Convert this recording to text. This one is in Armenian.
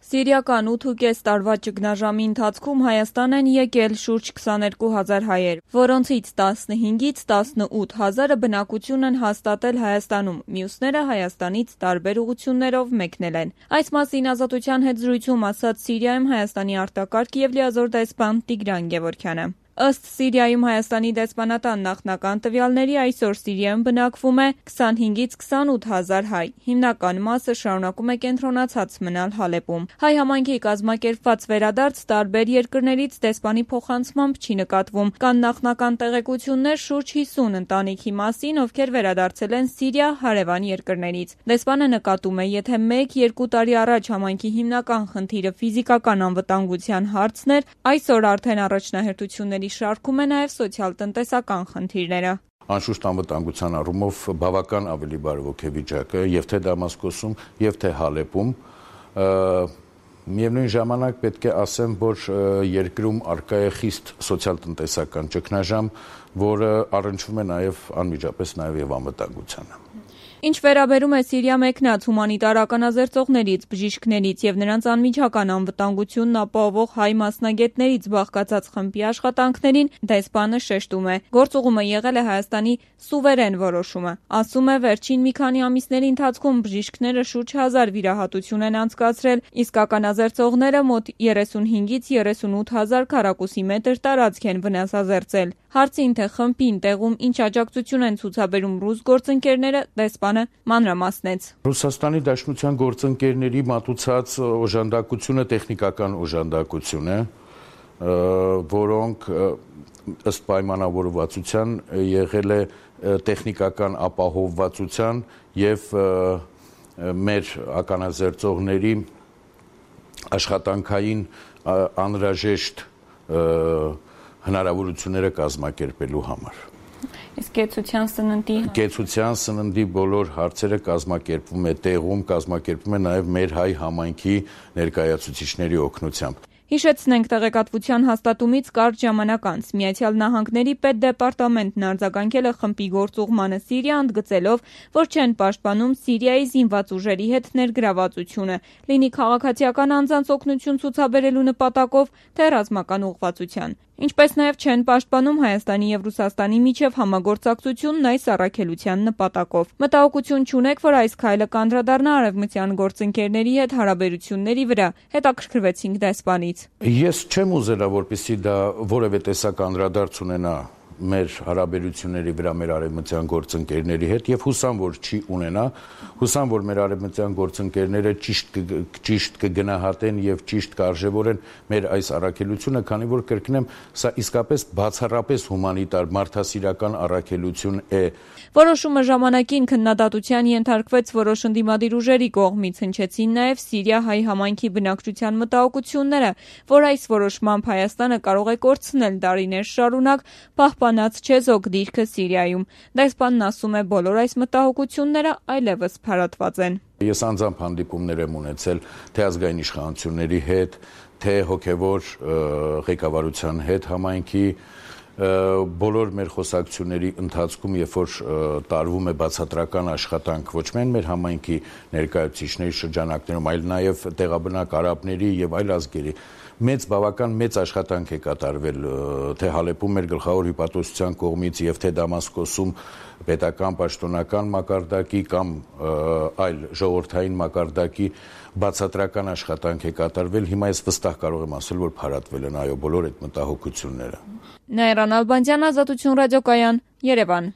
Սիրիական 8,5 տարվա ճգնաժամի ընթացքում Հայաստան են եկել շուրջ 22,000 հայեր, որոնցից 15-ից 18 հազարը բնակություն են հաստատել Հայաստանում, մյուսները Հայաստանից տարբեր ուղղություններով մեկնել են։ Այս մասին Ազատության հետ զրույցում ասաց Սիրիայում Հայաստանի արտակարգ և լիազոր դեսպան Տիգրան Գևորգյանը։ Ըստ Սիրիայում Հայաստանի դեսպանատան նախնական տվյալների այսօր Սիրիայում բնակվում է 25-ից 28 հազար հայ, հիմնական մասը շարունակում է կենտրոնացած մնալ Հալեպում։ Հայ համայնքի կազմակերպված վերադարձ տարբեր երկրներից դեսպանի փոխանցմամբ չի նկատվում։ Կան նախնական տեղեկություններ շուրջ 50 ընտանիքի մասին, ովքեր վերադարձել են Սիրիա հարևան երկրներից։ Դեսպանը նկատում է, եթե 1-2 տարի առաջ համայնքի հիմնական խնդիրը ֆիզիկական անվտանգության հարցն էր, այսօր արդեն առաջնահերթությունների շարքում է նաև սոցիալ-տնտեսական խնդիրները։ Անշուշտ անվտանգության առումով բավական ավելի բարվոք է վիճակը եւ թե Դամասկոսում եւ թե Հալեպում։ Միևնույն ժամանակ պետք է ասեմ, որ երկրում առկա է խիստ սոցիալ-տնտեսական ճգնաժամ, որը առնչվում է նաև անմիջապես նաև եւ անվտանգությանը։ Ինչ վերաբերում է Սիրիա մեկնած հումանիտար ականազերծողներից, բժիշկներից եւ նրանց անմիջական անվտանգությունն ապահովող հայ մասնագետներից բաղկացած խմբի աշխատանքներին, դեսպանը շեշտում է. գործուղումը եղել է Հայաստանի սուվերեն որոշումը։ Ասում է, վերջին մի քանի ամիսների ընթացքում բժիշկները շուրջ 1000 վիրահատություն են անցկացրել, իսկ ականազերծողները մոտ 35-ից 38 հազար քառակուսի մետր տարածք են վնասազերծել։ Հարցին, թե խմբին տեղում ինչ աջակցություն են ցուցաբերում ռուս գործընկերները, դեսպանը մանրամասնեց։ Ռուսաստանի Դաշնության գործընկերների մատուցած օժանդակությունը տեխնիկական օժանդակություն է, որոնք ըստ պայմանավորվածության եղել է տեխնիկական ապահովվածության եւ մեր ականազերծողների աշխատանքային անհրաժեշտ հնարավորությունները կազմակերպելու համար։ Իսկ կեցության սննդի բոլոր հարցերը կազմակերպվում է տեղում, կազմակերպվում է նաև մեր հայ համայնքի ներկայացուցիչների օգնությամբ։ Հիշեցնենք, տեղեկատվության հաստատումից կարճ ժամանակ անց Միացյալ Նահանգների պետդեպարտամենտն արձագանքել է խմբի գործուղմանը Սիրիա, ընդգծելով, որ չեն պաշտպանում Սիրիայի զինված ուժերի հետ ներգրավվածությունը, լինի քաղաքացիական անձանց օգնություն ցուցաբերելու նպատակով, թե ռազմական ուղղվածության։ Ինչպես նաև չեն պաշտպանում Հայաստանի և Ռուսաստանի միջև համագործակցությունն այս առաքելության նպատակով։ Մտահոգություն չունեք, որ այս քայլը կանդրադառնա արևմտյան գործընկերների հետ հարաբերությունների վրա, հետաքրքրվեցինք դեսպանից։ Ես չեմ ուզելա, որպեսզի դա որևէ տեսակ անդրադարձ ունենա մեր հարաբերությունների վրա մեր արևմտյան գործընկերների հետ եւ հուսամ, որ չի ունենա, հուսամ, որ մեր արևմտյան գործընկերները ճիշտ կգնահատեն եւ ճիշտ կարժևորեն մեր այս առաքելությունը, քանի որ կրկնեմ, սա իսկապես բացառապես հումանիտար մարդասիրական առաքելություն է։ Որոշումը ժամանակին քննադատության ենթարկվեց որոշ ընդդիմադիր ուժերի կողմից, հնչեցին նաև Սիրիա հայ համայնքի բնակչության մտահոգությունները, որ այս որոշմամբ Հայաստանը կարող է կորցնել տարիներ շարունակ պահպանած չեզոք դիրքը Սիրիայում։ Դեսպանն ասում է, բոլոր այս մտահոգությունները այլևս փարատված են։ Ես անձամբ հանդիպումներ եմ ունեցել թե ազգային իշխանությունների հետ, թե հոգևոր ղեկավարության հետ համայնքի, բոլոր մեր խոսակցությունների ընթացքում, երբ որ տարվում է բացատրական աշխատանք ոչ միայն մեր համայնքի ներկայացուցիչների շրջանակներում, այլ նաև տեղաբնակ արաբների եւ այլ ազգերի, բավական մեծ աշխատանք է կատարվել թե Հալեպում մեր գլխավոր հյուպատոսության կողմից եւ թե Դամասկոսում պետական պաշտոնական մակարդակի կամ այլ ժողովրդային մակարդակի բացատրական աշխատանք է կատարվել։ Հիմա ես վստահ կարող եմ ասել, որ փարատվել են այո բոլոր այդ մտահոգությունները։ Նաիրա Նալբանդյան, Ազատություն ռադիոկայան, Երևան։